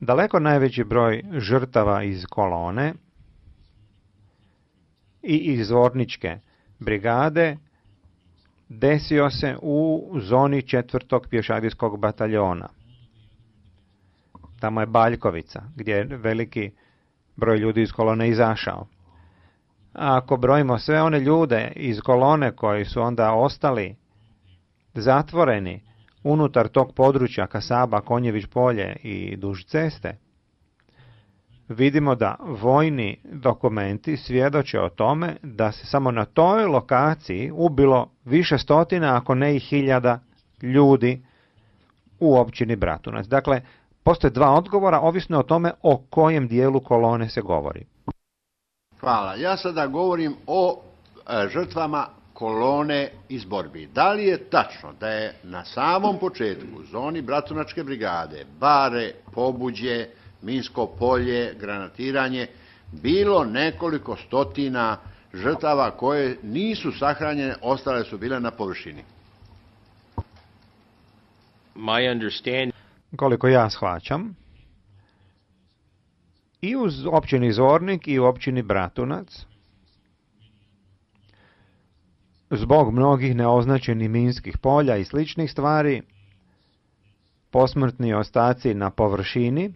daleko najveći broj žrtava iz kolone i iz zvorničke brigade desio se u zoni 4. pješadijskog bataljona. Tamo je Baljkovica, gdje je veliki broj ljudi iz kolone izašao. A ako brojimo sve one ljude iz kolone koji su onda ostali zatvoreni unutar tog područja Kasaba, Konjević polje i duž ceste, vidimo da vojni dokumenti svjedoče o tome da se samo na toj lokaciji ubilo više stotina, ako ne i hiljada ljudi u općini Bratunac. Dakle, postoje dva odgovora, ovisno o tome o kojem dijelu kolone se govori. Hvala. Ja sada govorim o žrtvama kolone iz borbi. Da li je tačno da je na samom početku u zoni Bratunačke brigade, Bare, Pobuđe, Minsko polje, granatiranje, bilo nekoliko stotina žrtava koje nisu sahranjene, ostale su bile na površini? Koliko ja shvaćam, i u općini Zvornik i u općini Bratunac, zbog mnogih neoznačenih minskih polja i sličnih stvari, posmrtni ostaci na površini,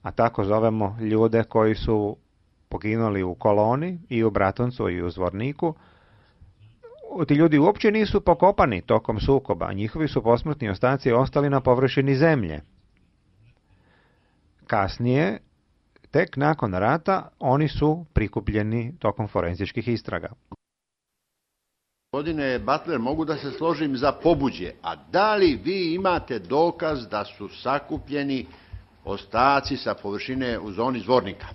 a tako zovemo ljude koji su poginuli u koloni i u Bratuncu i u Zvorniku, ti ljudi uopće nisu pokopani tokom sukoba, njihovi su posmrtni ostaci ostali na površini zemlje. Kasnije, tek nakon rata, oni su prikupljeni tokom forenzičkih istraga. Gospodine Butler, mogu da se složim za Pobuđe, a da li vi imate dokaz da su sakupljeni ostaci sa površine u zoni Zvornika?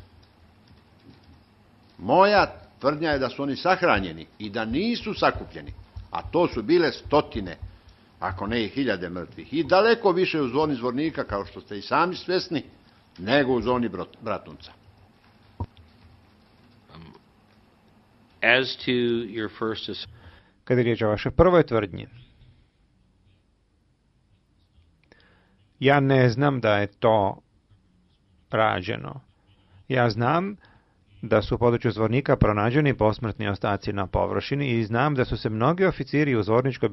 Moja tvrdnja je da su oni sahranjeni i da nisu sakupljeni, a to su bile stotine, ako ne i hiljade mrtvih, i daleko više u zoni Zvornika, kao što ste i sami svjesni, nego u zoni Bratunca. As to your first... Kada je riječ o vašoj prvoj tvrdnji, ja ne znam da je to rađeno. Ja znam da su u području Zvornika pronađeni posmrtni ostaci na površini i znam da su se mnogi oficiri u Zvorničkoj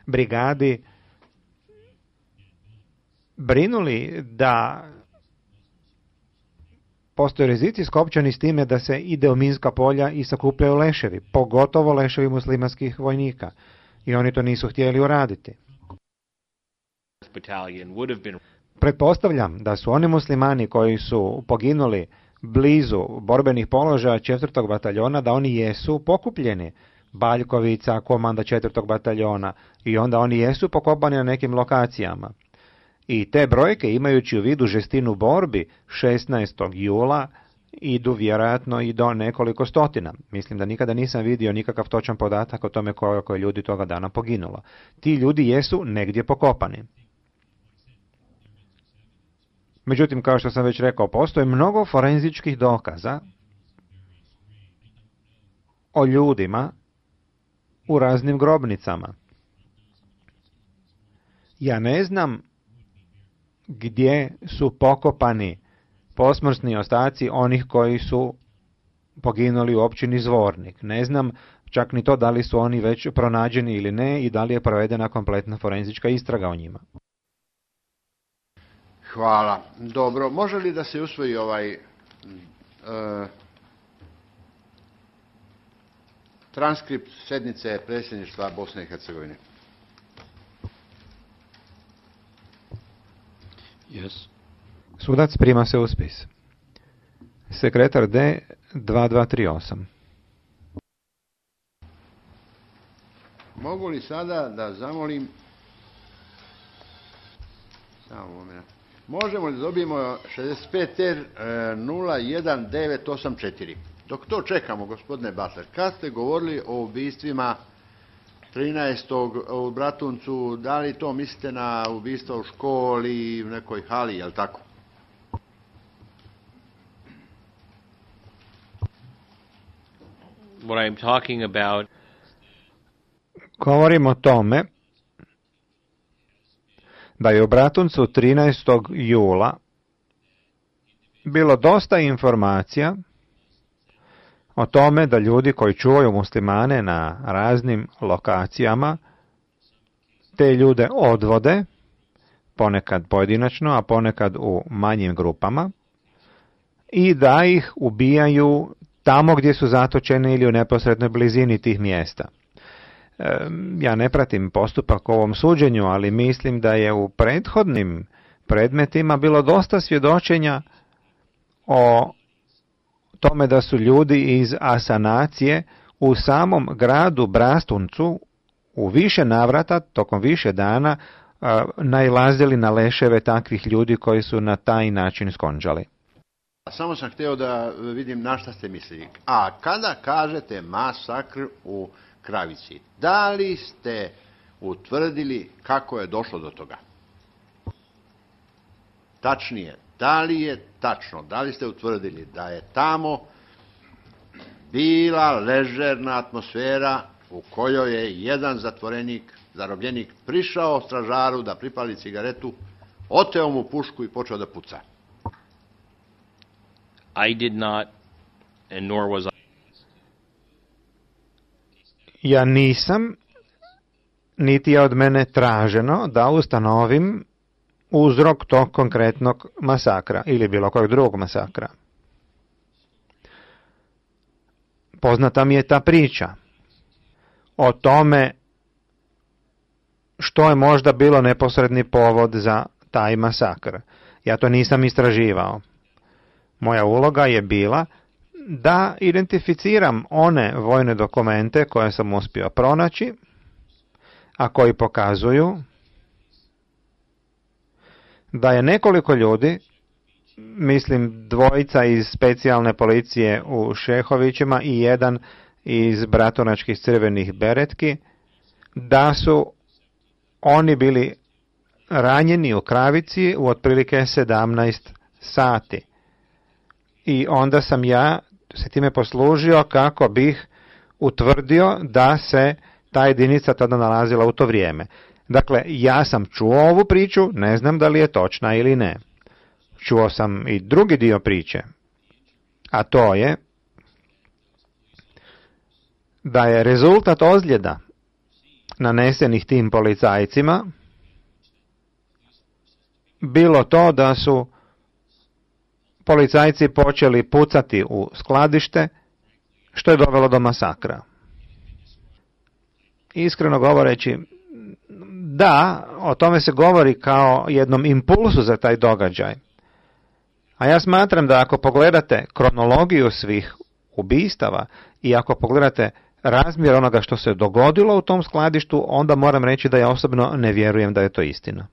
brigadi brinuli da postoje rizici skopčani s time da se ide u minska polja i sakupljaju leševi, pogotovo leševi muslimanskih vojnika. I oni to nisu htjeli uraditi. Pretpostavljam da su oni muslimani koji su poginuli blizu borbenih položaja 4. bataljona, da oni jesu pokupljeni. Baljkovica, komanda 4. bataljona, i onda oni jesu pokopani na nekim lokacijama. I te brojke, imajući u vidu žestinu borbi 16. jula, idu vjerojatno i do nekoliko stotina. Mislim da nikada nisam vidio nikakav točan podatak o tome koliko je ljudi toga dana poginulo. Ti ljudi jesu negdje pokopani. Međutim, kao što sam već rekao, postoji mnogo forenzičkih dokaza o ljudima u raznim grobnicama. Ja ne znam gdje su pokopani posmrtni ostaci onih koji su poginuli u općini Zvornik. Ne znam čak ni to da li su oni već pronađeni ili ne i da li je provedena kompletna forenzička istraga o njima. Hvala. Dobro, može li da se usvoji ovaj transkript sednice predsjedništva Bosne i Hercegovine? Yes. Sudac prima se u spis. Sekretar D 2238. Mogu li sada da zamolim... Samo moment. Možemo li dobijemo 65R 01984? Dok to čekamo, gospodine Butler, kad ste govorili o ubistvima 13. u Bratuncu, da li to mislite na ubistvo u školi, u nekoj hali, je li tako? What I'm talking about... Govorim o tome da je u Bratuncu 13. jula bilo dosta informacija o tome da ljudi koji čuvaju muslimane na raznim lokacijama te ljude odvode, ponekad pojedinačno, a ponekad u manjim grupama, i da ih ubijaju tamo gdje su zatočeni ili u neposrednoj blizini tih mjesta. Ja ne pratim postupak u ovom suđenju, ali mislim da je u prethodnim predmetima bilo dosta svjedočenja o tome da su ljudi iz Asanacije u samom gradu Brastuncu u više navrata, tokom više dana, nailazili na leševe takvih ljudi koji su na taj način skonđali. Samo sam htio da vidim na šta ste mislili. A kada kažete masakr u Kravici, da li ste utvrdili kako je došlo do toga? Tačnije, da li je tačno, da li ste utvrdili da je tamo bila ležerna atmosfera u kojoj je jedan zarobljenik prišao stražaru da pripali cigaretu, oteo mu pušku i počeo da puca? I did not, and nor was I. Ja nisam, niti je od mene traženo da ustanovim uzrok tog konkretnog masakra ili bilo kojeg drugog masakra. Poznata mi je ta priča o tome što je možda bilo neposredni povod za taj masakr. Ja to nisam istraživao. Moja uloga je bila da identificiram one vojne dokumente koje sam uspio pronaći, a koji pokazuju da je nekoliko ljudi, mislim 2 iz specijalne policije u Šehovićima i 1 iz bratunačkih crvenih beretki, da su oni bili ranjeni u Kravici u otprilike 17 sati. I onda sam ja se time poslužio kako bih utvrdio da se ta jedinica tada nalazila u to vrijeme. Dakle, ja sam čuo ovu priču, ne znam da li je točna ili ne. Čuo sam i drugi dio priče, a to je da je rezultat ozljeda nanesenih tim policajcima bilo to da su policajci počeli pucati u skladište, što je dovelo do masakra. Iskreno govoreći, da, o tome se govori kao jednom impulsu za taj događaj. A ja smatram da ako pogledate kronologiju svih ubistava i ako pogledate razmjer onoga što se dogodilo u tom skladištu, onda moram reći da ja osobno ne vjerujem da je to istina.